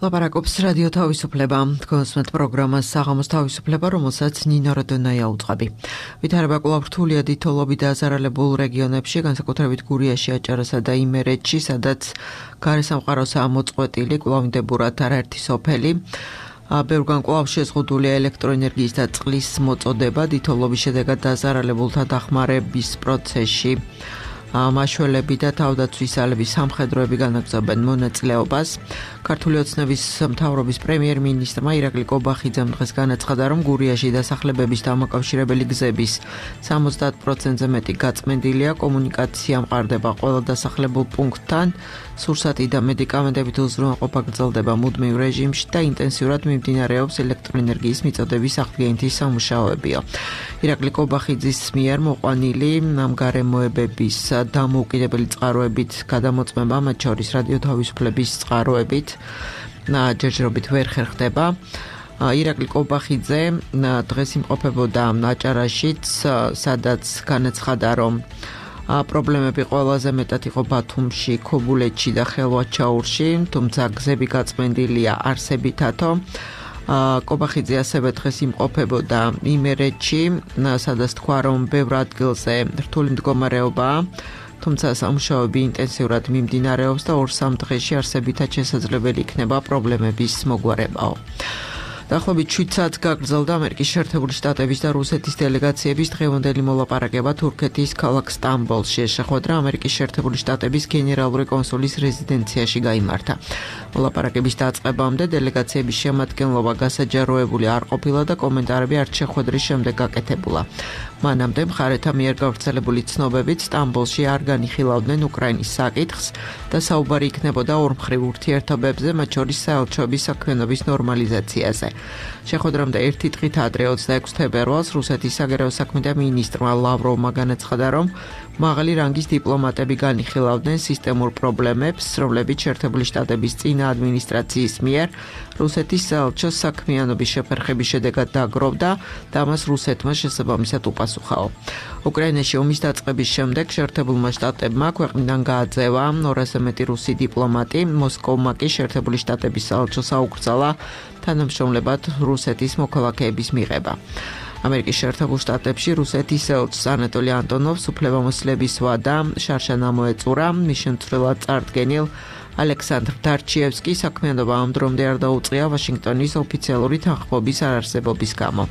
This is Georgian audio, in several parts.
ლაპარაკობს რადიო თავისუფლება. კონსმეთ პროგრამას საღამოს თავისუფლება, რომელსაც ნინო როდონაია უწყები. ვითარება კვლავ რთულია დიდთოლობით დაზარალებულ რეგიონებში, განსაკუთრებით გურიაში, აჭარასა და იმერეთში, სადაც გარესამყაროსაა მოწყვეტილი კვლავინდებურად არაერთი სოფელი. ბევრგან კვლავ შეზღუდულია ელექტროენერგიის და წყლის მოწოდება, დიდთოლობის შედეგად დაზარალებულთა დახმარების პროცესში. მაშველები და თავდაცვის ძალების სამხედროები განაგრძობენ მონაწილეობას. ქართული ოცნების მთავრობის პრემიერ-მინისტრმა ირაკლი კობახიძემ დღეს განაცხადა, რომ გურიაში დასახლებების დამაკავშირებელი გზების 70%-ზე მეტი გაწმენდილია, კომუნიკაცია მყარდება ყველა დასახლებულ პუნქტთან, სურსათი და მედიკამენტებით უზრუნველყოფა გრძელდება მუდმივ რეჟიმში და ინტენსიურად მიმდინარეობს ელექტროენერგიის მიწოდების აღდგენითი სამუშაოებია. ირაკლი კობახიძის მიერ მოყვანილი გამგარემოებების დამოუკიდებელი წყაროებით გადამოწმება, მათ შორის რადიო თავისუფლების წყაროებით, ჯერჯერობით ვერ ხერხდება. ირაკლი კობახიძე დღეს იმყოფებოდა აჭარაშიც, სადაც განაცხადა, რომ პრობლემები ყველაზე მეტად იყო ბათუმში, ქობულეთში და ხელვაჩაურში, თუმცა გზები გაწმენდილია არსებითათო. კობახიძე ასევე დღეს იმყოფებოდა იმერეთში, სადაც თქვა, რომ ბევრ ადგილზე რთული მდგომარეობაა, თუმცა სამუშაოები ინტენსიურად მიმდინარეობს და 2-3 დღეში არსებითად შესაძლებელი იქნება პრობლემების მოგვარებაო. დაახლოებით 7 საათს გაგრძელდა ამერიკის შეერთებული შტატების და რუსეთის დელეგაციების დღევანდელი მოლაპარაკება თურქეთის ქალაქ სტამბოლში. შეხვედრა ამერიკის შეერთებული შტატების გენერალური კონსულის რეზიდენციაში გაიმართა. მოლაპარაკების დაწყებამდე დელეგაციების შემადგენლობა გასაჯაროებული არ ყოფილა და კომენტარები არც შეხვედრის შემდეგ გაკეთებულა. მანამდე მხარეთა მიერ გავრცელებული ცნობებით სტამბოლში არ განიხილავდნენ უკრაინის საკითხს და საუბარი იქნებოდა ორმხრივ ურთიერთობებზე, მათ შორის საელჩოების საქმიანობის ნორმალიზაციაზე. შეხვედრამდე ერთი დღით ადრე 26 თებერვალს რუსეთის საგარეო საქმეთა მინისტრმა ლავროვმა განაცხადა, რომ მაღალი რანგის დიპლომატები განიხილავდნენ სისტემურ პრობლემებს, რომლებიც შეერთებული შტატების წინა ადმინისტრაციის მიერ რუსეთის საელჩოს საქმიანობის შეფერხების შედეგად დაგროვდა და მას რუსეთმა შესაბამისად უპასუხაო. უკრაინაში ომის დაწყების შემდეგ შეერთებულმა შტატებმა ქვეყნიდან გააძევა 200-ზე მეტი რუსი დიპლომატი, მოსკოვმა კი შეერთებული შტატების საელჩოს აუკრძალა თანამშრომლებად რუსეთის მოქალაქეების მიღება. ამერიკის შეერთებულ შტატებში რუსეთის საელჩოს ანატოლი ანტონოვს უფლებამოსილების ვადა შარშან ამოეწურა, მის შემცვლელად წარდგენილ ალექსანდრ დარჩიევსკი საქმიანობა ამ დრომდე არ დაუწყია ვაშინგტონის ოფიციალური თანხმობის არარსებობის გამო.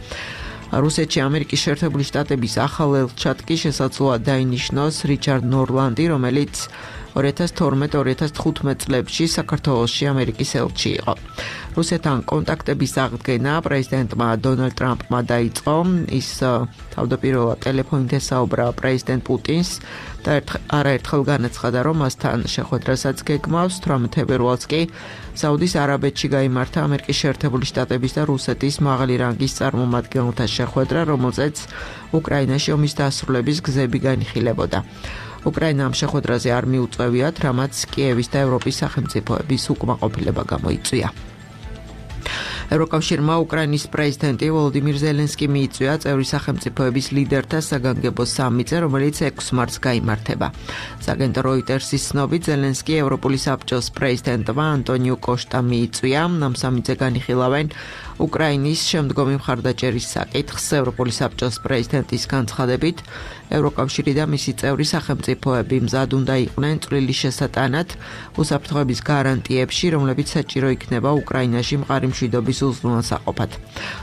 რუსეთში ამერიკის შეერთებული შტატების ახალ ელჩად კი შესაძლოა დაინიშნოს რიჩარდ ნორლანდი, რომელიც 2012-2015 წლებში საქართველოში ამერიკის ელჩი იყო. რუსეთთან კონტაქტების აღდგენა პრეზიდენტმა დონალდ ტრამპმა დაიწყო. ის თავდაპირველად ტელეფონით ესაუბრა პრეზიდენტ პუტინს და არაერთხელ განაცხადა, რომ მასთან შეხვედრასაც გეგმავს. 18 თებერვალს კი საუდის არაბეთში გაიმართა ამერიკის შეერთებული შტატების და რუსეთის მაღალი რანგის წარმომადგენელთა შეხვედრა, რომელზეც უკრაინაში ომის დასრულების გზები განიხილებოდა. უკრაინა ამ შეხვედრაზე არ მიუწევიათ, რამაც კიევის და ევროპის სახელმწიფოების უკმაყოფილება გამოიწვია. ევროკავშირმა უკრაინის პრეზიდენტი ვოლოდიმირ ზელენსკი მიიწვია წევრი სახელმწიფოების ლიდერთა საგანგებო სამიტზე, რომელიც 6 მარტს გაიმართება. საგენტო როიტერსის ცნობით ზელენსკი ევროპული საბჭოს პრეზიდენტმა ანტონიუ კოშტამ მიიწვია. ამ სამიტზე განიხილავენ უკრაინის შემდგომი მხარდაჭერის საკითხს. ევროპული საბჭოს პრეზიდენტის განცხადებით, ევროკავშირი და მისი წევრი სახელმწიფოები მზად უნდა იყვნენ წვლილი შესატანად უსაფრთხოების გარანტიებში, რომლებიც საჭირო იქნება უკრაინაში მყარი მშვიდობის უზრუნველსაყოფად.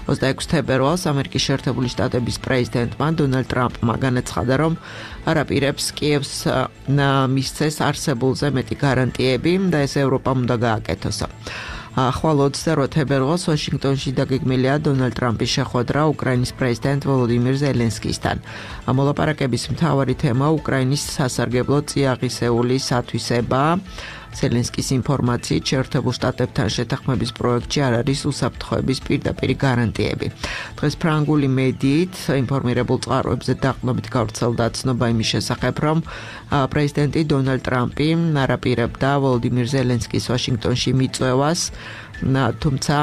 26 თებერვალს ამერიკის შეერთებული შტატების პრეზიდენტმა დონალდ ტრამპმა განაცხადა, რომ არ აპირებს კიევს მისცეს არსებულზე მეტი გარანტიები და ეს ევროპამ უნდა გააკეთოს. ხვალ 28 თებერვალს ვაშინგტონში დაგეგმილია დონალდ ტრამპის შეხვედრა უკრაინის პრეზიდენტ ვოლოდიმირ ზელენსკისთან. მოლაპარაკების მთავარი თემა უკრაინის სასარგებლო წიაღისეული სათვისებაა. ზელენსკის ინფორმაციით შეერთებულ შტატებთან შეთანხმების პროექტში არ არის უსაფრთხოების პირდაპირი გარანტიები. დღეს ფრანგული მედიით ინფორმირებულ წყაროებზე დაყრდნობით გავრცელდა ცნობა იმის შესახებ, რომ პრეზიდენტი დონალდ ტრამპი არ აპირებდა ვოლოდიმირ ზელენსკის ვაშინგტონში მიწვევას, თუმცა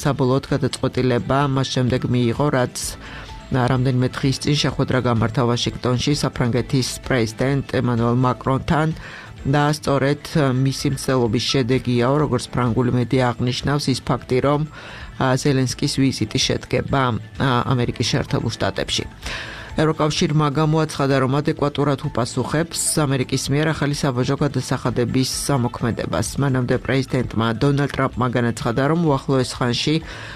საბოლოოდ გადაწყვეტილება მას შემდეგ მიიღო, რაც რამდენიმე დღის წინ შეხვედრა გამართა ვაშინგტონში საფრანგეთის პრეზიდენტ ემანუელ მაკრონთან და სწორედ მისი მცდელობის შედეგიაო, როგორც ფრანგული მედია აღნიშნავს, ის ფაქტი, რომ ზელენსკის ვიზიტი შედგება ამერიკის შეერთებულ შტატებში. ევროკავშირმა გამოაცხადა, რომ ადეკვატურად უპასუხებს ამერიკის მიერ ახალი საბაჟო გადასახადების ამოქმედებას. მანამდე პრეზიდენტმა დონალდ ტრამპმა განაცხადა, რომ უახლოეს ხანში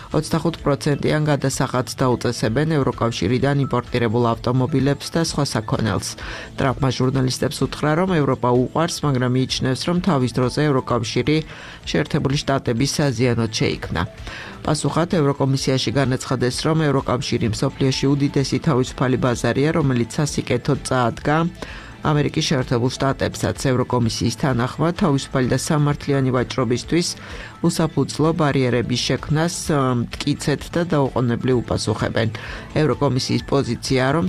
25%-იან გადასახადს დაუწესებენ ევროკავშირიდან იმპორტირებულ ავტომობილებს და სხვა საქონელს. ტრამპმა ჟურნალისტებს უთხრა, რომ ევროპა უყვარს, მაგრამ მიიჩნევს, რომ თავის დროზე ევროკავშირი შეერთებული შტატების საზიანოდ შეიქმნა. პასუხად ევროკომისიაში განაცხადეს, რომ ევროკავშირი მსოფლიოში უდიდესი თავისუფალი ბაზარია, რომელიც სასიკეთოდ წაადგა ამერიკის შეერთებულ შტატებსაც. ევროკომისიის თანახმად თავისუფალი და სამართლიანი ვაჭრობისთვის უსაფუძვლო ბარიერების შექმნას მტკიცედ და დაუყოვნებლივ უპასუხებენ. ევროკომისიის პოზიციაა, რომ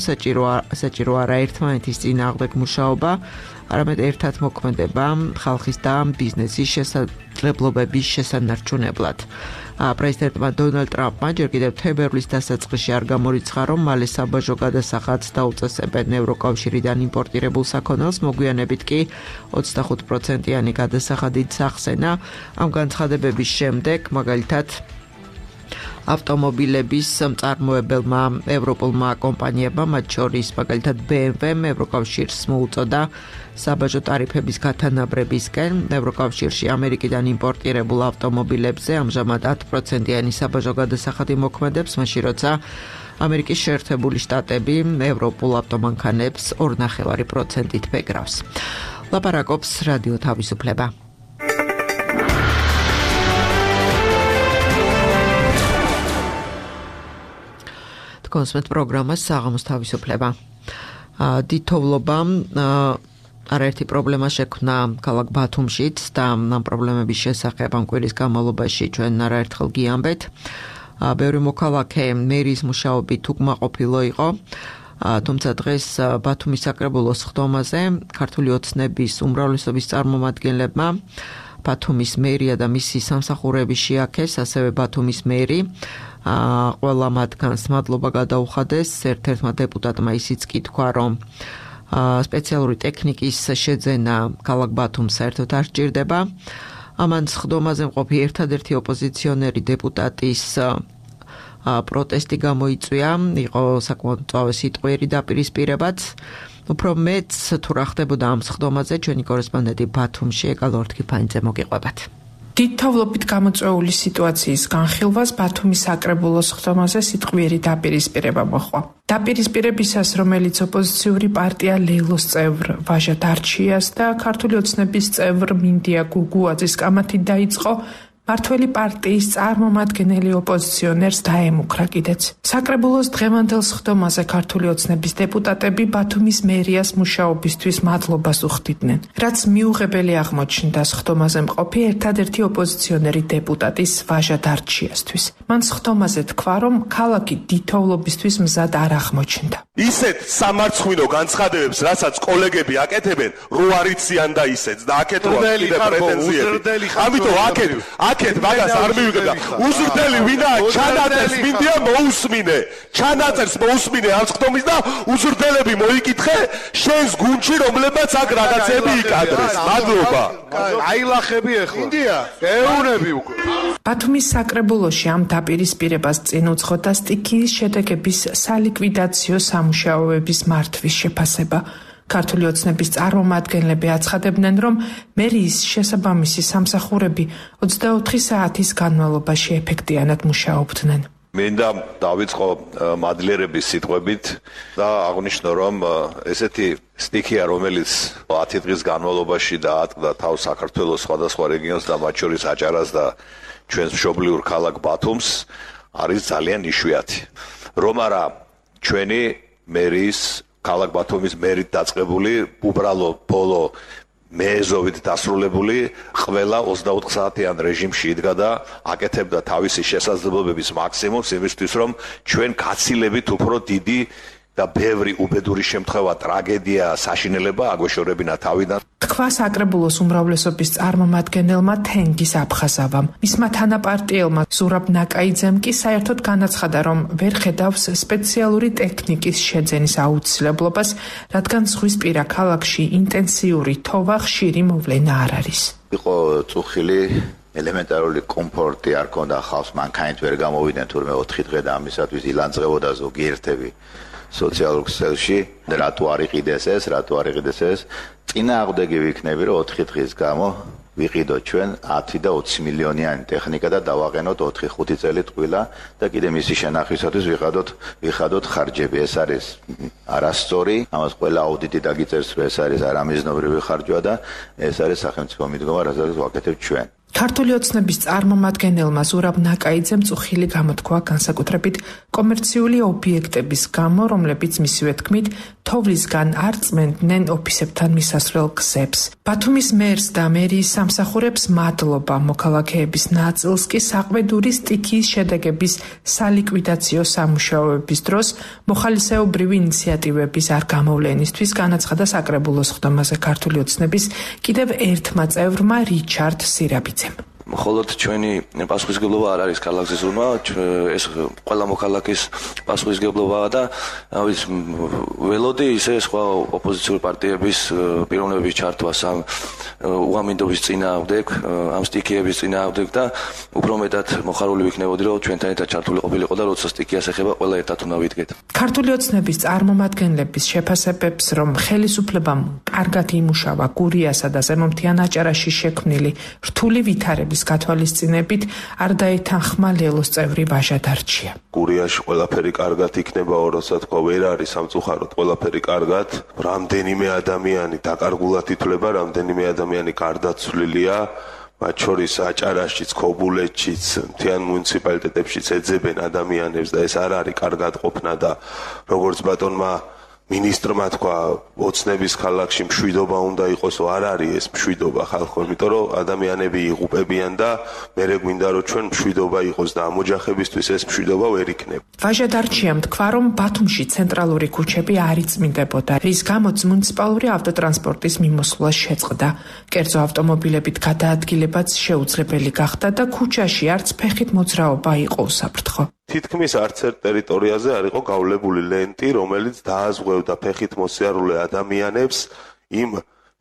საჭირო არა ერთმანეთის წინააღმდეგ მუშაობა, არამედ ერთად მოქმედება ხალხის და ბიზნესის შესაძლებლობების შესანარჩუნებლად. პრეზიდენტმა დონალდ ტრამპმა ჯერ კიდევ თებერვლის დასაწყისში არ გამორიცხა, რომ მალე საბაჟო გადასახადს დაუწესებენ ევროკავშირიდან იმპორტირებულ საქონელს, მოგვიანებით კი 25%-იანი გადასახადით სახსენა. ამ განცხადებების შემდეგ, მაგალითად, ავტომობილების მწარმოებელმა ევროპულმა კომპანიებმა, მათ შორის მაგალითად BMW-მ ევროკავშირს მოუწოდა საბაჟო ტარიფების გათანაბრებისკენ. ევროკავშირში ამერიკიდან იმპორტირებულ ავტომობილებზე ამჟამად 10%-იანი საბაჟო გადასახადი მოქმედებს, მაშინ როცა ამერიკის შეერთებული შტატები ევროპულ ავტომანქანებს 2.5%-ით ბეგრავს. ლაპარაკობს რადიო თავისუფლება. კონსმეთ პროგრამას საღამოს თავისუფლება. დიდთოვლობა არაერთი პრობლემა შექმნა ქალაქ ბათუმშიც და ამ პრობლემების შესახებ ამ კვირის განმავლობაში ჩვენ არაერთხელ გიამბეთ. ბევრი მოქალაქე მერის მუშაობით უკმაყოფილო იყო. თუმცა დღეს ბათუმის საკრებულოს ხდომაზე ქართული ოცნების უმრავლესობის წარმომადგენლებმა ბათუმის მერია და მისი სამსახურები შეაქეს, ასევე ბათუმის მერი ყველა მათგანს მადლობა გადაუხადეს. ერთ-ერთმა დეპუტატმა ისიც კი თქვა, რომ სპეციალური ტექნიკის შეძენა ქალაქ ბათუმს საერთოდ არ სჭირდება. ამან ხდომაზე მყოფი ერთადერთი ოპოზიციონერი დეპუტატის პროტესტი გამოიწვია, იყო საკმაოდ მწვავე სიტყვიერი დაპირისპირებაც. უფრო მეც თუ რა ხდებოდა ამ ხდომაზე, ჩვენი კორესპონდენტი ბათუმში ეკალ ორთქიფანიძე მოგიყვებათ. დიდთოვლობით გამოწვეული სიტუაციის განხილვას ბათუმის საკრებულოს ხდომაზე სიტყვიერი დაპირისპირება მოჰყვა. დაპირისპირებისას, რომელიც ოპოზიციური პარტია ლეილოს წევრ ვაჟა დარჩიას და ქართული ოცნების წევრ მინდია გუგუაძის კამათით დაიწყო, მართველი პარტიის წარმომადგენელი ოპოზიციონერს დაემუქრა კიდეც. საკრებულოს დღევანდელ ხდომაზე ქართული ოცნების დეპუტატები ბათუმის მერიას მუშაობისთვის მადლობას უხდიდნენ, რაც მიუღებელი აღმოჩნდა ხდომაზე მყოფი ერთადერთი ოპოზიციონერი დეპუტატის ვაჟა დარჩიასთვის. მან ხდომაზე თქვა, რომ ქალაქი დიდთოვლობისთვის მზად არ აღმოჩნდა. ისეთ სამარცხვინო განცხადებებს, რასაც კოლეგები აკეთებენ, რო არიციან და ისეც და აქეთ რო კიდე პრეტენზიები. ამიტომ აქეთ მაგას არ მივიღებდა. უზრდელი ვინაა ჩანაწერს მინდია მოусმინე. ჩანაწერს მოусმინე ამ ხდომის და უზრდელები მოიკითხე შენს გუნდში, რომლებაც აქ რაღაცები იკადრეს. მადლობა. აილახები ახლა. მინდია. ეუნები უკვე. ბათუმის საკრებულოში ამ დაპირისპირებას წინ უძღოდა სტიქიის შედეგების სალიკვიდაციო სამუშაოების მართვის შეფასება. ქართული ოცნების წარმომადგენლები აცხადებდნენ, რომ მერიის შესაბამისი სამსახურები 24 საათის განმავლობაში ეფექტიანად მუშაობდნენ. მინდა დავიწყო მადლიერების სიტყვებით და აღვნიშნო, რომ ესეთი სტიქია, რომელიც 10 დღის განმავლობაში დაატყდა თავს საქართველოს სხვადასხვა რეგიონს და მათ შორის აჭარას და ჩვენს მშობლიურ ქალაქ ბათუმს, არის ძალიან იშვიათი. რომ არა ჩვენი მერიის ქალაქ ბათუმის მერით დაწყებული უბრალო ბოლო მეეზოვით დასრულებული ყველა 24 საათიან რეჟიმში იდგა და აკეთებდა თავისი შესაძლებლობების მაქსიმუმს იმისთვის, რომ ჩვენ გაცილებით უფრო დიდი და ბევრი უბედური შემთხვევა, ტრაგედია, საშინელება აგვეშორებინა თავიდან. თქვა საკრებულოს უმრავლესობის წარმომადგენელმა თენგის აფხაზავამ. მისმა თანაპარტიელმა ზურაბ ნაკაიძემ კი საერთოდ განაცხადა, რომ ვერ ხედავს სპეციალური ტექნიკის შეძენის აუცილებლობას, რადგან ზღვისპირა ქალაქში ინტენსიური თოვა ხშირი მოვლენა არ არის. იყო წუხილი ელემენტარული კომფორტი არ ქონდა ხალხს, მანქანით ვერ გამოვიდნენ თურმე 4 დღე და ამისათვის ილანძღებოდა ზოგიერთები სოციალურ ქსელში, რატო არ იყიდეს ეს, წინააღმდეგი ვიქნები, რომ 4 დღის გამო ვიყიდოთ ჩვენ 10 და 20 მილიონიანი ტექნიკა და დავაყენოთ 4-5 წელი ტყუილა და კიდე მისი შენახვისათვის ვიხადოთ ხარჯები. ეს არის არასწორი, ამას ყველა აუდიტი დაგიწერს, რომ ეს არის არამიზნობრივი ხარჯვა და ეს არის სახელმწიფო მიდგომა, რასაც ვაკეთებთ ჩვენ. ქართული ოცნების წარმომადგენელმა ზურაბ ნაკაიძემ წუხილი გამოთქვა განსაკუთრებით კომერციული ობიექტების გამო, რომლებიც მისივე თქმით თოვლისგან არ წმენდნენ ოფისებთან მისასვლელ გზებს. ბათუმის მერს და მერიის სამსახურებს მადლობა, მოქალაქეების ნაწილს კი საყვედური სტიქიის შედეგების სალიკვიდაციო სამუშაოების დროს მოხალისეობრივი ინიციატივების არ გამოვლენისთვის განაცხადა საკრებულოს ხდომაზე ქართული ოცნების კიდევ ერთმა წევრმა რიჩარდ სირაბიძემ. მხოლოდ ჩვენი პასუხისგებლობა არ არის ქალაქის ზრუნვა, ეს ყველა მოქალაქის პასუხისგებლობაა და ველოდი ისე სხვა ოპოზიციური პარტიების პიროვნების ჩართვას ამ უამინდობის წინააღმდეგ, ამ სტიქიების წინააღმდეგ და უფრო მეტად მოხარული ვიქნებოდი, რომ ჩვენთან ერთად ჩართული ყოფილიყო და როცა სტიქიას ეხება, ყველა ერთად უნდა ვიდგეთ. ქართული ოცნების წარმომადგენლების შეფასებებს, რომ ხელისუფლებამ კარგად იმუშავა გურიასა და ზემომთიან აჭარაში შექმნილი რთული ვითარების გათვალისწინებით არ დაეთანხმა ლელოს წევრი ვაჟა დარჩია. გურიაში ყველაფერი კარგად იქნება, როცა თქვა ვერ არის სამწუხაროდ ყველაფერი კარგად, რამდენიმე ადამიანი დაკარგულად ითვლება, რამდენიმე ადამიანი გარდაცვლილია, მათ შორის აჭარაშიც, ქობულეთშიც, მთიან მუნიციპალიტეტებშიც ეძებენ ადამიანებს და ეს არ არის კარგად ყოფნა და როგორც ბატონმა მინისტრმა თქვა, ოცნების ქალაქში მშვიდობა უნდა იყოს, არ არის ეს მშვიდობა ხალხო, იმიტომ რომ ადამიანები იღუპებიან და მერე გვინდა რომ ჩვენ მშვიდობა იყოს და ამ ოჯახებისთვის ეს მშვიდობა ვერ იქნება. ვაჟა დარჩიამ თქვა, რომ ბათუმში ცენტრალური ქუჩები არ იწმინდებოდა, რის გამოც მუნიციპალური ავტოტრანსპორტის მიმოსვლა შეწყდა. კერძო ავტომობილებით გადაადგილებაც შეუძლებელი გახდა და ქუჩაში არც ფეხით მოძრაობა იყო უსაფრთხო. თითქმის არც ერთ ტერიტორიაზე არ იყო გავლებული ლენტი, რომელიც დააზღვევდა ფეხით მოსიარულე ადამიანებს იმ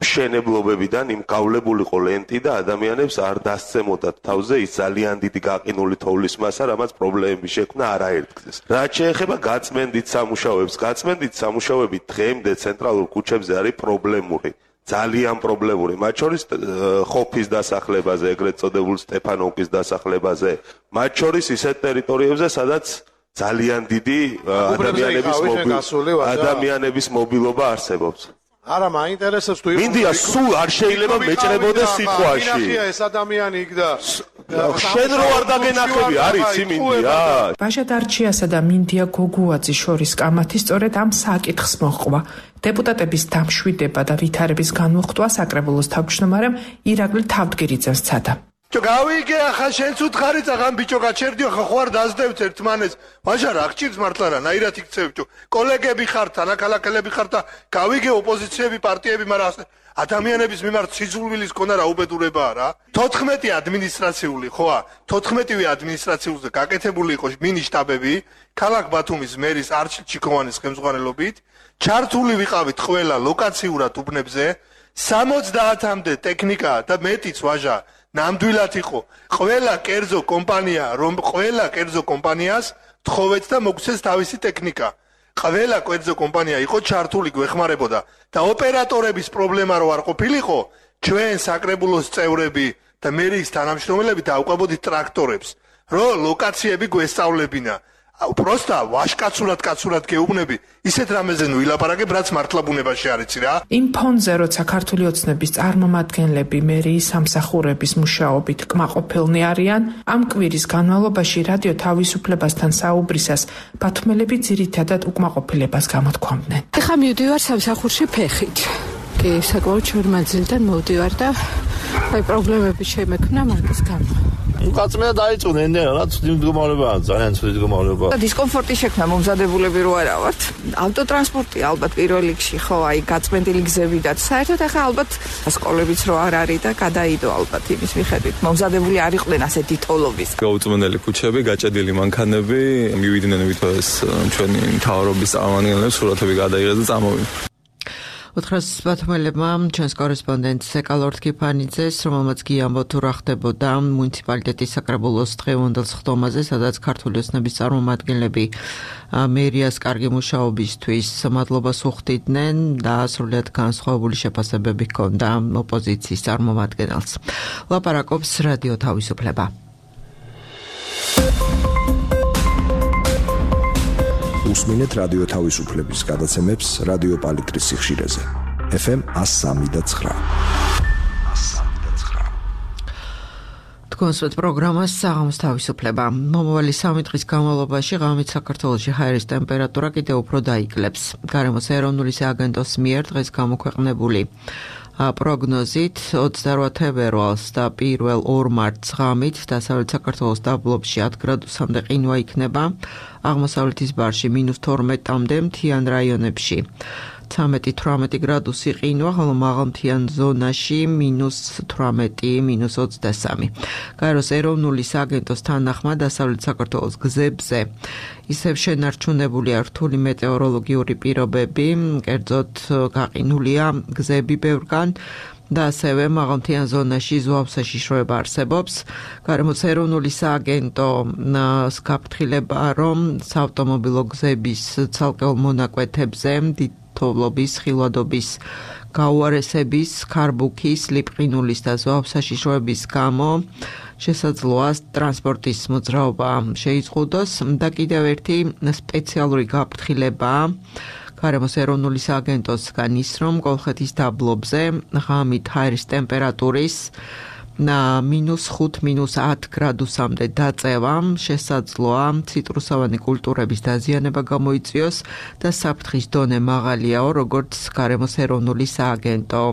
მშენებლობებიდან, იმ გავლებულიყო ლენტი და ადამიანებს არ დასცემოდათ თავზე ის ძალიან დიდი გაყინული თოვლის მასა, რამაც პრობლემები შექმნა არაერთგზეს. რაც შეეხება გაწმენდით სამუშაოები დღემდე ცენტრალურ ქუჩებზე არის პრობლემური. ძალიან პრობლემური, მათ შორის ხოფის დასახლებაზე, ეგრეთ წოდებულ სტეფანოვკის დასახლებაზე, მათ შორის ისეთ ტერიტორიებზე, სადაც ძალიან დიდი ადამიანების მობილობა არსებობს. არა, მაინტერესებს თუ მინდია სულ არ შეიძლება მეჭრებოდეს სიტყვაში. მინახია ეს ადამიანი იქ და შენ რო არ დაგენახები, არის იმინდია. ვაჟა დარჩიასა და მინდია გოგუაძის შორის კამათი სწორედ ამ საკითხს მოჰყვა. დეპუტატების დამშვიდება და ვითარების განუხტვა საკრებულოს თავმჯდომარემ ირაკლი თავდგირიძემ სცადა. გავიგე ახლა შენც უთხარი წაღან ბიჭო გაჩერდიო ხა ხوار დაძდევთ ერთმანეს ვაჟა რა გჭირს მართლა რა ნაირად იქცევით კოლეგები ხართ თანაკალაკელები ხართ და გავიგე ოპოზიციები პარტიები მაგრამ ადამიანების მიმართ სიძულვილის ქონა რა უბედურებაა რა 14 ადმინისტრაციული ხოა 14-ვე ადმინისტრაციულზე გაკეთებული იყო მინიშტაბები ქალაქ ბათუმის მერის არჩილ ჩიქოვანის ხელმძღვანელობით ჩართული ვიყავით ყველა ლოკაციურად უბნებზე 70-მდე ტექნიკა და მეტიც ვაჟა ნამდვილად იყო ყველა კერძო კომპანიას თხოვეთ და მოგცეს თავისი ტექნიკა ყველა კერძო კომპანია იყო ჩართული გვეხმარებოდა და ოპერატორების პრობლემა რო არ ყოფილიყო ჩვენ საკრებულოს წევრები და მერიის თანამშრომლები დაუყვებოდით ტრაქტორებს რო ლოკაციები გვესწავლებინა პროსტა ვაშკაცურად გეუბნები ისეთ რამეზე ნუ ილაპარაკებ რაც მართლა ბუნებაში არ იცი რა იმ ფონზე როცა ქართული ოცნების წარმომადგენლები მერიის სამსახურების მუშაობით კმაყოფილნი არიან ამ კვირის განმავლობაში რადიო თავისუფლებასთან საუბრისას ბათუმელები ძირითადად უკმაყოფილებას გამოთქვამდნენ ეხა მივდივარ სამსახურში ფეხით კი საკმაოდ შორმაძილიდან მოვდივარ და აი პრობლემები შემექმნა მაგის გამო კაცმეა დაიწყდნენ რაც მდგომარეობაა ძალიან ცუდი მდგომარეობა. დისკომფორტი შექმნა მომზადებულები რო არა ვართ. ავტოტრანსპორტი ალბათ პირველ რიგში ხო აი გაწმენდილი გზები და საერთოდ ახლა ალბათ სკოლებიც რო არ არის და გადაიდო ალბათ იმის მიხედვით. მომზადებული არ იყვნენ ასეთი თოლობის. გაუწმენელი ქუჩები, გაჭედილი მანქანები, მივიდნენ ვითოს ჩვენი მთავრობის წარმომადგენლებს სურათები გადაიღეს და წამოვიდნენ. ოთხრას ბათუმელებმა ჩვენს კორესპონდენტს ეკალორთ კიფანიძეს, რომელმაც გიამბო თუ რა ხდებოდა მუნიციპალიტეტის საკრებულოს დღევანდელ სხდომაზე, სადაც ქართული ოცნების წარმომადგენლები მერიას კარგი მუშაობისთვის მადლობას უხდიდნენ და სრულიად განსხვავებული შეფასებები ჰქონდა ოპოზიციის წარმომადგენელს. ლაპარაკობს რადიო თავისუფლება. უსმინეთ რადიო თავისუფლების გადაცემებს რადიო პალიტრის სიხშირეზე. FM 103.9. თქვენს პროგრამას საღამოს თავისუფლება. მომავალი 3 დღის განმავლობაში ღამით საქართველოში ჰაერის ტემპერატურა კიდევ უფრო დაიკლებს. გარემოს ეროვნული სააგენტოს მიერ დღეს გამოქვეყნებული პროგნოზით 28 თებერვალს და 1 მარტს ღამით დასავლეთ საქართველოს დაბლობში 10 გრადუსამდე ყინვა იქნება, აღმოსავლეთის ბარში -12-მდე, მთიან რაიონებში 13-18 გრადუსი ყინვა, ხოლო მაღალმთიან ზონაში -18, -23. გაეროს ეროვნული სააგენტოს თანახმად დასავლეთ საქართველოს გზებზე ისევ შენარჩუნებულია რთული მეტეოროლოგიური პირობები, კერძოდ გაყინულია გზები ბევრგან და ასევე მაღალმთიან ზონაში ზღვაო საშიშროება არსებობს. გარემოს ეროვნული სააგენტო გაფრთხილება, რომ საავტომობილო გზების ცალკეულ მონაკვეთებზე თოვლობის, ხილვადობის, გაუარესების, ქარბუქის, ლიპყინულის და ზღვაო საშიშროების გამო შესაძლოა ტრანსპორტის მოძრაობა შეიზღუდოს და კიდევ ერთი სპეციალური გაფრთხილება გარემოს ეროვნული სააგენტოსგან ის, რომ კოლხეთის დაბლობზე ღამით ჰაერის ტემპერატურის -5, -10 გრადუსამდე დაწევა შესაძლოა ციტრუსოვანი კულტურების დაზიანება გამოიწვიოს და საფრთხის დონე მაღალიაო, როგორც გარემოს ეროვნული სააგენტო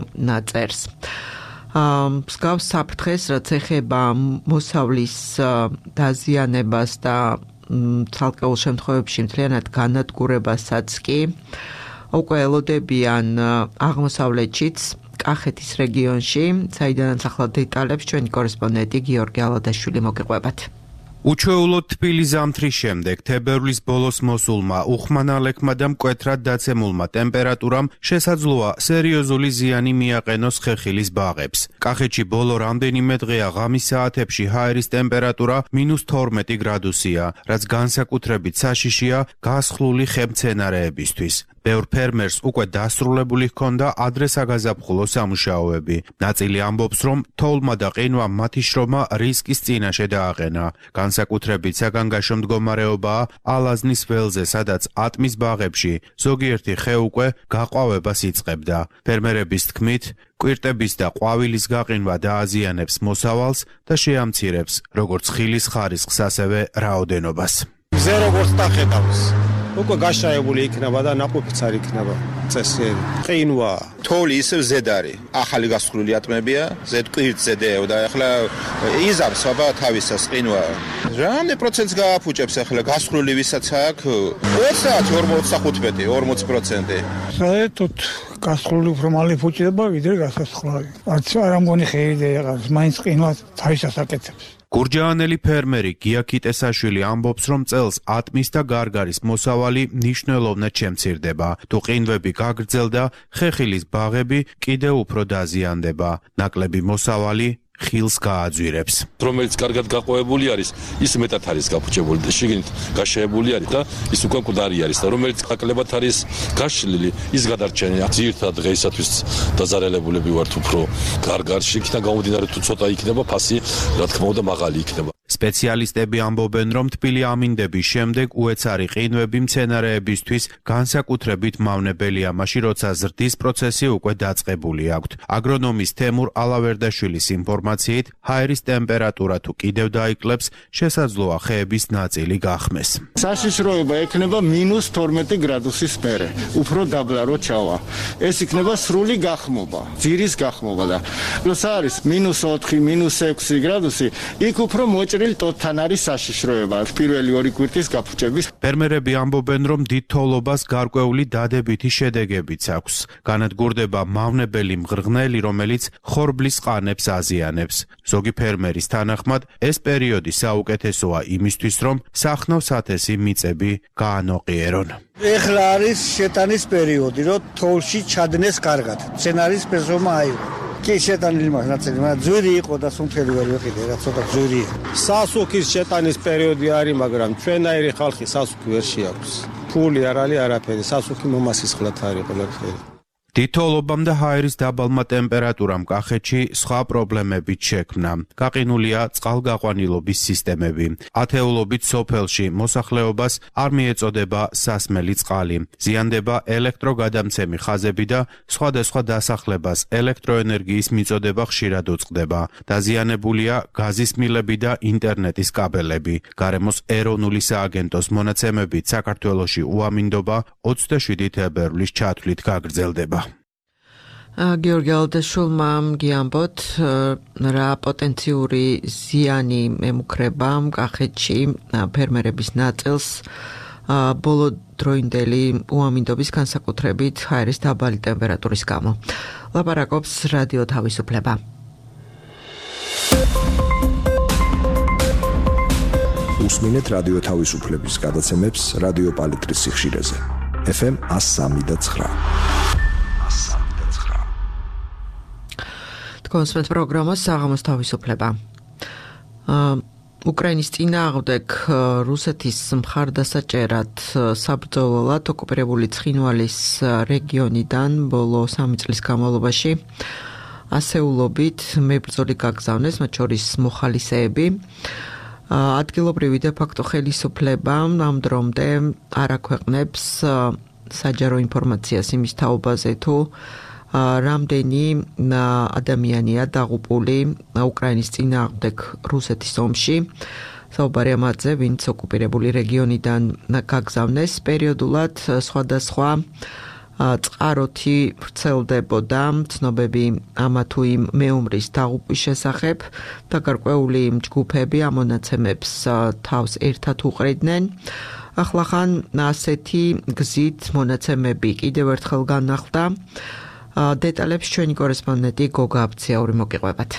წერს. მსგავს საფრთხეს, რაც ეხება მოსავლის დაზიანებას და ცალკეულ შემთხვევებში მთლიანად განადგურებასაც კი უკვე ელოდებიან აღმოსავლეთშიც, კახეთის რეგიონში, საიდანაც ახლა დეტალებს ჩვენი კორესპონდენტი გიორგი ალადაშვილი მოგიყვებათ. უჩვეულოდ თბილი ზამთრის შემდეგ თებერვლის ბოლოს მოსულმა უხმანალექმა და მკვეთრად დაცემულმა ტემპერატურამ შესაძლოა სერიოზული ზიანი მიაყენოს ხეხილის ბაღებს. კახეთში ბოლო რამდენიმე დღეა ღამის საათებში ჰაერის ტემპერატურა -12 გრადუსია, რაც განსაკუთრებით საშიშია გასხლული ხემცენარეებისთვის. ბევრ ფერმერს უკვე დასრულებული ჰქონდა ადრე საგაზაფხულო სამუშაოები. ნაწილი ამბობს, რომ თოვლმა და ყინვამ მათი შრომა რისკის წინაშე დააყენა. განსაკუთრებით საგანგაშო მდგომარეობაა ალაზნის ველზე, სადაც ატმის ბაღებში ზოგიერთი ხე უკვე გაყვავებას იწყებდა. ფერმერების თქმით, კვირტების და ყვავილის გაყინვა დააზიანებს მოსავალს და შეამცირებს როგორც ხილის ხარისხს, ასევე რაოდენობას. ზე როგორც დახედავს უკვე გაშაებული იქნება და ნაყოფიც არ იქნება წესიერი. ყინვა, თოვლი ისევ ზედ არის. ახალი გასხლული ატმებია, ზედ კვირტზე დევ და ახლა იზამს აბა თავისას ყინვა. რამდენი პროცენტს გააფუჭებს ახლა გასხლული ვისაც აქვს? 40-45%. საერთოდ გასხლული უფრო მალე ფუჭდება, ვიდრე გასასხლავი. არ ამგონი ხეივი იღავს, მაინც ყინვა თავისას აკეთებს. გურჯაანელი ფერმერი გია ქიტესაშვილი ამბობს, რომ წელს ატმის და გარგარის მოსავალი მნიშვნელოვნად შემცირდება. თუ ყინვები გაგრძელდა, ხეხილის ბაღები კიდევ უფრო დაზიანდება. ნაკლები მოსავალი ხილს გააძვირებს. რომელიც კარგად გაყვავებული არის, ის მეტად არის გაფუჭებული და შიგნით გაშეებული არის და ის უკვე მკვდარი არის და რომელიც ნაკლებად არის გაშლილი, ის გადარჩენია. ძირითადად დღეისათვის დაზარალებულები ვართ უფრო გარგარში, იქიდან გამომდინარე თუ ცოტა იქნება ფასი, რა თქმა უნდა, მაღალი იქნება. სპეციალისტები ამბობენ, რომ თბილი ამინდების შემდეგ უეცარი ყინვები მცენარეებისთვის განსაკუთრებით მავნებელია, მაშინ როცა ზრდის პროცესი უკვე დაწყებული აქვთ. აგრონომის თემურ ალავერდაშვილის ინფორმაციით, ჰაერის ტემპერატურა თუ კიდევ დაიკლებს, შესაძლოა ხეების ნაწილი გახმეს. საშიშროება ექნება -12 გრადუსის მერე, უფრო დაბლა რო ჩავა. ეს იქნება სრული გახმობა, ძირის გახმობა და როცა არის -4, -6 გრადუსი, იქ უფრო მოჭრილ ტოტთან არის საშიშროება, პირველი 2 კვირტის გაფუჭების. ფერმერები ამბობენ, რომ დიდ თოვლობას გარკვეული დადებითი შედეგებიც აქვს. განადგურდება მავნებელი მღრღნელი, რომელიც ხორბლის ყანებს აზიანებს. ზოგი ფერმერის თანახმად, ეს პერიოდი საუკეთესოა იმისთვის, რომ სახნავ სათესი მიწები გაანოყიერონ. ეხლა არის შეტანის პერიოდი, რომ თოვლში ჩადნეს კარგად. მცენარის ფესომა აიღო. კი შეტანილი მაქვს ნაწილი, მაგრამ ძვირი იყო და სუნთელი ვერ ვიყიდე, რა ცოტა ძვირია. სასუქის შეტანის პერიოდი არის, მაგრამ ჩვენაირი ხალხი სასუქი ვერ შეაქვს. ფული არ არის არაფერი, სასუქი მომასისხლად არის ყველაფერი. დიდ თოვლობამ და ჰაერის დაბალმა ტემპერატურამ კახეთში სხვა პრობლემებიც შექმნა. გაყინულია წყალგაყვანილობის სისტემები. ათეულობით სოფელში მოსახლეობას არ მიეწოდება სასმელი წყალი. ზიანდება ელექტროგადამცემი ხაზები და სხვადასხვა დასახლებას ელექტროენერგიის მიწოდება ხშირად უწყდება. დაზიანებულია გაზის მილები და ინტერნეტის კაბელები. გარემოს ეროვნული სააგენტოს მონაცემებით საქართველოში უამინდობა 27 თებერვლის ჩათვლით გაგრძელდება. გიორგი ალდაშვილმა გიამბოთ, რა პოტენციური ზიანი ემუქრება კახეთში ფერმერების ნაწილს ბოლო დროინდელი უამინდობის განსაკუთრებით ჰაერის დაბალი ტემპერატურის გამო. ლაპარაკობს რადიო თავისუფლება. უსმინეთ რადიო თავისუფლების გადაცემებს რადიო პალიტრის სიხშირეზე. FM 103.9. კონსმეთ პროგრამა საღამოს თავისუფლება. უკრაინის წინააღმდეგ რუსეთის მხარდასაჭერად საბრძოლველად ოკუპირებული ცხინვალის რეგიონიდან ბოლო 3 წლის განმავლობაში ასეულობით მებრძოლი გაგზავნეს, მათ შორის მოხალისეები. ადგილობრივი დე ფაქტო ხელისუფლება ამ დრომდე არ აქვეყნებს საჯარო ინფორმაციას იმის თაობაზე, თუ რამდენი ადამიანია დაღუპული უკრაინის წინააღმდეგ რუსეთის ომში. საუბარი ამაზე, ვინც ოკუპირებული რეგიონიდან გაგზავნეს, პერიოდულად სხვადასხვა წყაროთი ვრცელდებოდა ცნობები ამა თუ იმ მეომრის დაღუპვის შესახებ და გარკვეული ჯგუფები ამ მონაცემებს თავს ერთად უყრიდნენ. ახლახან ასეთი გზით მონაცემები კიდევ ერთხელ განახლდა. დეტალებს ჩვენი კორესპონდენტი გოგა აბციაური მოგიყვებათ.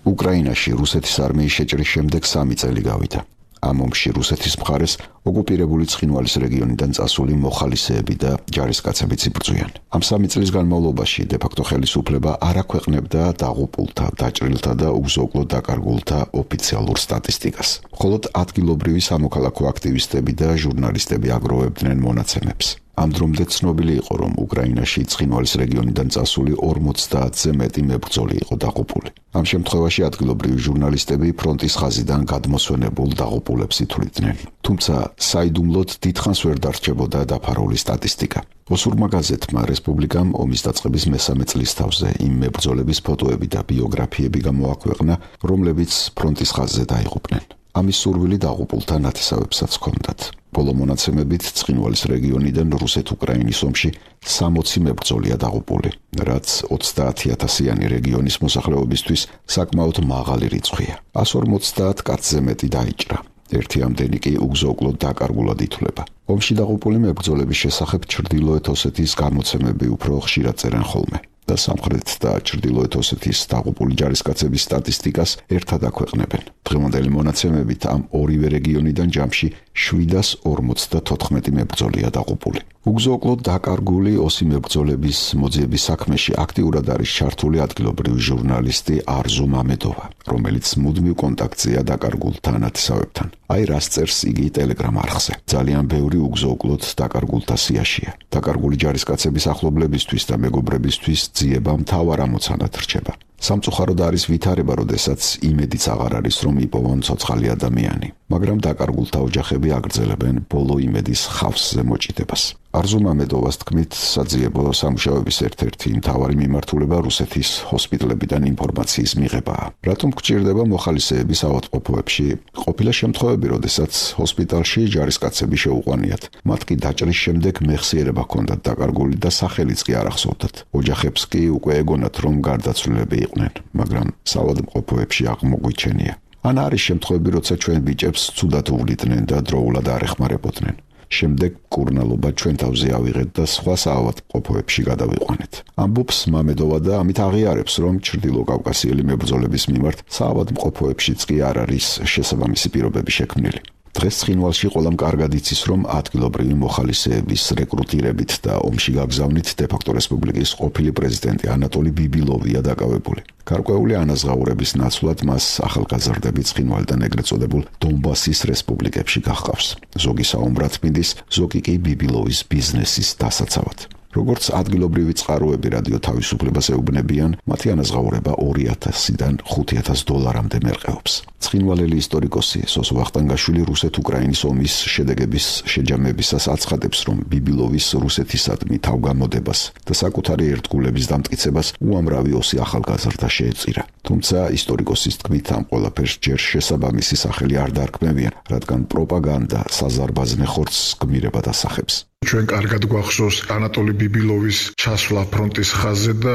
უკრაინაში რუსეთის არმიის შეჭრის შემდეგ 3 წელი გავიდა. ამ ომში რუსეთის მხარეს ოკუპირებული ცხინვალის რეგიონიდან წასული მოხალისეები და ჯარისკაცებიც იბრძვიან. ამ 3 წლის განმავლობაში დე-ფაქტო ხელისუფლება არ აქვეყნებდა დაღუპულთა, დაჭრილთა და უგზო-უკლო დაკარგულთა ოფიციალურ სტატისტიკას. მხოლოდ ადგილობრივი სამოქალაქო აქტივისტები და ჟურნალისტები აგროვებდნენ მონაცემებს. ამ დრომდე ცნობილი იყო, რომ უკრაინაში ცხინვალის რეგიონიდან წასული 50-ზე მეტი მებრძოლი იყო დაღუპული. ამ შემთხვევაში ადგილობრივი ჟურნალისტები ფრონტის ხაზიდან გადმოსვენებულ დაღუპულებს ითვლიდნენ. თუმცა საიდუმლოდ დიდხანს ვერ დარჩებოდა დაფარული სტატისტიკა. ოსურმა გაზეთმა რესპუბლიკამ ომის დაწყების მე-3 წლის თავზე იმ მებრძოლების ფოტოები და ბიოგრაფიები გამოაქვეყნა, რომლებიც ფრონტის ხაზზე დაიღუპნენ. ამის სურვილი დაღუპულთა ნათესავებსაც ჰქონდათ. ბოლო მონაცემებით ცხინვალის რეგიონიდან რუსეთ-უკრაინის ომში 60 მებრძოლია დაღუპული, რაც 30,000-იანი რეგიონის მოსახლეობისთვის საკმაოდ მაღალი რიცხვია. 150 კაცზე მეტი დაიჭრა. ერთი ამდენი კი უგზო-უკლო დაკარგულად ითვლება. ომში დაღუპული მებრძოლების შესახებ ჩრდილოეთ ოსეთის გამოცემები უფრო ხშირად წერენ ხოლმე. და სამხრეთ და ჩრდილოეთ ოსეთის დაღუპული ჯარისკაცების სტატისტიკას ერთად აქვეყნებენ. დღევანდელი მონაცემებით ამ ორივე რეგიონიდან ჯამში 754 მებრძოლია დაღუპული. უგზო-უკლო დაკარგული ოსი მებრძოლების მოძიების საქმეში აქტიურად არის ჩართული ადგილობრივი ჟურნალისტი არზუ მამედოვა, რომელიც მუდმივ კონტაქტზეა დაკარგულთა ნათესავებთან. აი რას წერს იგი ტელეგრამ არხზე. ძალიან ბევრი უგზო-უკლოდ დაკარგულთა სიაშია. დაკარგული ჯარისკაცების ახლობლებისთვის და მეგობრებისთვის ძიება მთავარ ამოცანად რჩება. სამწუხაროდ არის ვითარება, როდესაც იმედიც აღარ არის, რომ იპოვონ ცოცხალი ადამიანი, მაგრამ დაკარგულთა ოჯახები აგრძელებენ ბოლო იმედის ხავსზე მოჭიდებას. არზუ მამედოვას თქმით, საძიებო სამუშაოების ერთ-ერთი მთავარი მიმართულება რუსეთის ჰოსპიტალებიდან ინფორმაციის მიღებაა. რატომ გჭირდება მოხალისეების ავადმყოფოებში? ყოფილა შემთხვევები, როდესაც ჰოსპიტალში ჯარისკაცები შეუყვანიათ. მათ კი დაჭრის შემდეგ მეხსიერება ჰქონდათ დაკარგული და სახელიც კი არ ახსოვდათ. ოჯახებს კი უკვე ეგონათ, რომ გარდაცვლილები იყვნენ, მაგრამ საავადმყოფოებში აღმოგვიჩენია. ან არის შემთხვევები, როცა ჩვენ ბიჭებს ცუდად უვლიდნენ და დროულად არ ეხმარებოდნენ. შემდეგ კურნალობა ჩვენ თავზე ავიღეთ და სხვა საავადმყოფოებში გადავიყვანეთ. ამბობს მამედოვა და ამით აღიარებს, რომ ჩრდილოკავკასიელი მებრძოლების მიმართ საავადმყოფოებშიც კი არ არის შესაბამისი პირობები შექმნილი. დღეს ცხინვალში ყველამ კარგად იცის, რომ ადგილობრივი მოხალისეების რეკრუტირებით და ომში გაგზავნით დე-ფაქტო რესპუბლიკის ყოფილი პრეზიდენტი ანატოლი ბიბილოვია დაკავებული. გარკვეული ანაზღაურების ნაცვლად მას ახალგაზრდები ცხინვალიდან ეგრეთ წოდებულ დონბასის რესპუბლიკებში გაჰყავს. ზოგი საომრად მიდის, ზოგი კი ბიბილოვის ბიზნესის დასაცავად. როგორც ადგილობრივი წყაროები რადიო თავისუფლებას ეუბნებიან, მათი ანაზღაურება $2,000-დან $5,000-მდე მერყეობს. ცხინვალელი ისტორიკოსი სოსო ვახტანგაშვილი რუსეთ-უკრაინის ომის შედეგების შეჯამებისას აცხადებს, რომ ბიბილოვის რუსეთისადმი თავგამოდებას და საკუთარი ერთგულების დამტკიცებას უამრავი ოსი ახალგაზრდა შეეწირა. თუმცა ისტორიკოსის თქმით, ამ ყველაფერს ჯერ შესაბამისი სახელი არ დარქმევიან, რადგან პროპაგანდა საზარბაზნე ხორცს გმირებად ასახებს. ჩვენ კარგად გვახსოვს ანატოლი ბიბილოვის ჩასვლა ფრონტის ხაზზე და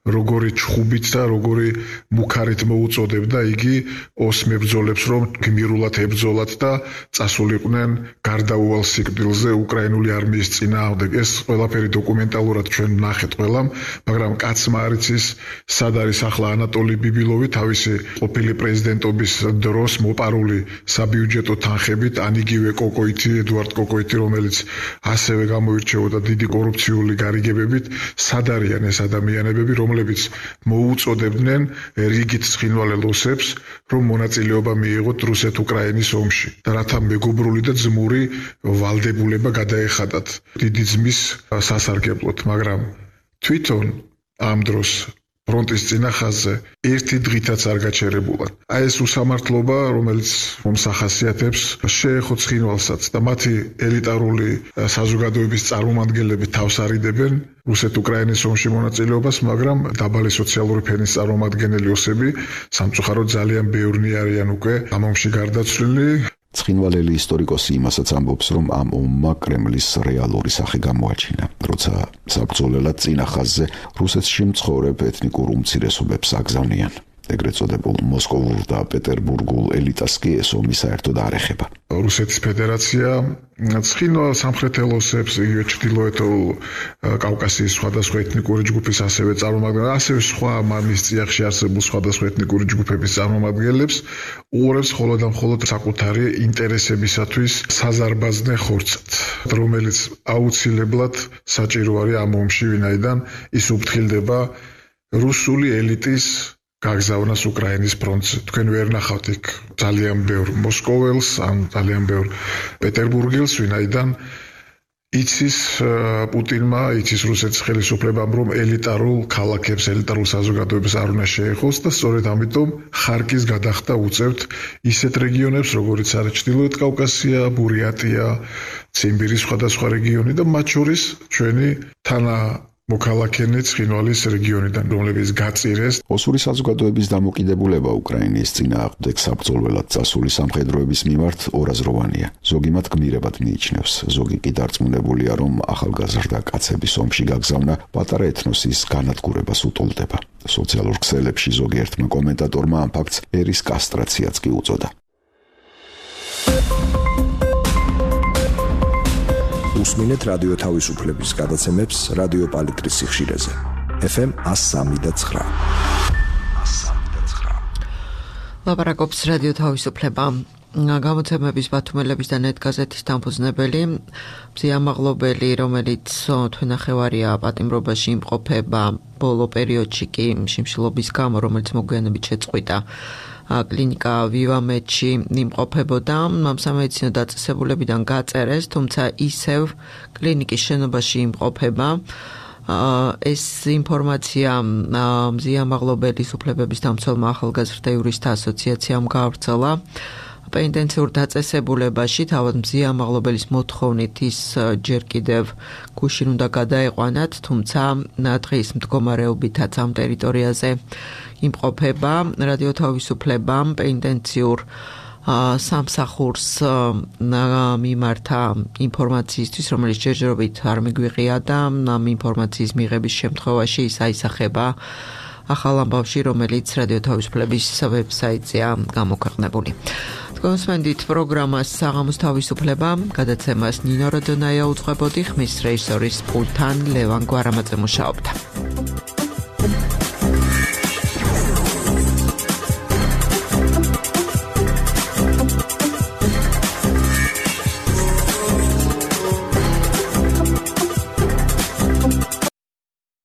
როგორი ჩხუბით და როგორი მუქარით მოუწოდებდა იგი ოს მებრძოლებს, რომ გმირულად ებრძოლათ და წასულიყვნენ გარდაუვალ სიკვდილზე უკრაინული არმიის წინააღმდეგ. ეს ყველაფერი დოკუმენტალურად ჩვენ ვნახეთ ყველამ, მაგრამ კაცმა არ იცის, სად არის ახლა ანატოლი ბიბილოვი თავისი ყოფილი პრეზიდენტობის დროს მოპარული საბიუჯეტო თანხებით, ან იგივე კოკოიტი, ედუარდ კოკოიტი, რომელიც ასევე გამოირჩეოდა დიდი კორუფციული გარიგებებით, სად არიან ეს ადამიანები, რომლებიც მოუწოდებდნენ რიგით ცხინვალელ ოსებს, რომ მონაწილეობა მიიღოთ რუსეთ-უკრაინის ომში და რათა მეგობრული და ძმური ვალდებულება გადაეხადათ დიდი ძმის სასარგებლოდ, მაგრამ თვითონ ამ დროს ფრონტის წინა ხაზზე ერთი დღითაც არ გაჩერებულად. აი ეს უსამართლობა, რომელიც ომს ახასიათებს, შეეხო ცხინვალსაც და მათი ელიტარული საზოგადოების წარმომადგენლები თავს არიდებენ რუსეთ-უკრაინის ომში მონაწილეობას, მაგრამ დაბალი სოციალური ფენის წარმომადგენელი ოსები სამწუხაროდ ძალიან ბევრნი არიან უკვე ამ ომში გარდაცვლილი. ცხინვალელი ისტორიკოსი იმასაც ამბობს, რომ ამ ომმა კრემლის რეალური სახე გამოაჩინა, როცა საბრძოლველად წინა ხაზზე რუსეთში მცხოვრებ ეთნიკურ უმცირესობებს აგზავნიან. ეგრეთ წოდებულ მოსკოვურ და პეტერბურგულ ელიტას კი ეს ომი საერთოდ არ ეხება. რუსეთის ფედერაცია ცხინვალ სამხრეთელ ოსებს, იგივე ჩრდილოეთულ კავკასიის სხვადასხვა ეთნიკური ჯგუფის ასევე წარმომადგენლებს, ასევე სხვა მამის წიაღში არსებულ სხვადასხვა ეთნიკური ჯგუფების წარმომადგენლებს უყურებს მხოლოდ და მხოლოდ საკუთარი ინტერესებისათვის საზარბაზნე ხორცად, რომელიც აუცილებლად საჭირო არის ამ ომში, ვინაიდან ის უფრთხილდება რუსული ელიტის გაგზავნას უკრაინის ფრონტზე. თქვენ ვერ ნახავთ იქ ძალიან ბევრ მოსკოველს, ან ძალიან ბევრ პეტერბურგელს, ვინაიდან იცის პუტინმა, იცის რუსეთის ხელისუფლებამ, რომ ელიტარულ ქალაქებს, ელიტარულ საზოგადოებას არ უნდა შეეხოს და სწორედ ამიტომ ხარკის გადახდა უწევთ ისეთ რეგიონებს, როგორიც არის ჩრდილოეთ კავკასია, ბურიატია, ციმბირის სხვადასხვა რეგიონი და მათ შორის ჩვენი მოქალაქენი ცხინვალის რეგიონიდან, რომლებიც გაწირეს. ოსური საზოგადოების დამოკიდებულება უკრაინის წინააღმდეგ საბრძოლველად წასული სამხედროების მიმართ ორაზროვანია. ზოგი მათ გმირებად მიიჩნევს, ზოგი კი დარწმუნებულია, რომ ახალგაზრდა კაცების ომში გაგზავნა პატარა ეთნოსის განადგურებას უტოლდება. სოციალურ ქსელებში ზოგიერთმა კომენტატორმა ამ ფაქტს ერის კასტრაციაც კი უწოდა. უსმინეთ რადიო თავისუფლების გადაცემებს რადიო პალიტრის სიხშირეზე. FM 103.9. ლაპარაკობს რადიო თავისუფლება. გამოცემების ბათუმელების და ნეტგაზეთის დამფუძნებელი, მზია მაღლობელი, რომელიც თვენახევარია პატიმრობაში იმყოფება, ბოლო პერიოდში კი შიმშილობის გამო, რომელიც მოგვიანებით შეწყვიტა, კლინიკა ვივამედში იმყოფებოდა, სამედიცინო დაწესებულებიდან გაწერეს, თუმცა ისევ კლინიკის შენობაში იმყოფება. ეს ინფორმაცია მზია მაღლობელის უფლებების დამცველმა ახალგაზრდა იურისტთა ასოციაციამ გაავრცელა. პენიტენციურ დაწესებულებაში თავად მზია მაღლობელის მოთხოვნით ის ჯერ კიდევ გუშინ უნდა გადაეყვანათ, თუმცა დღის მდგომარეობითაც ამ ტერიტორიაზე იმყოფება. რადიო თავისუფლებამ პენიტენციურ სამსახურს მიმართა ინფორმაციისთვის, რომელიც ჯერჯერობით არ მიგვიღია და ამ ინფორმაციის მიღების შემთხვევაში ის აისახება ახალ ამბავში, რომელიც რადიო თავისუფლების ვებსაიტზეა გამოქვეყნებული. გონსმენდით პროგრამას საღამოს თავისუფლება, გადაცემას ნინო როდონაია უძღვებოდი, ხმის რეჟისორის პულტთან ლევან გვარამაძე მუშაობდა.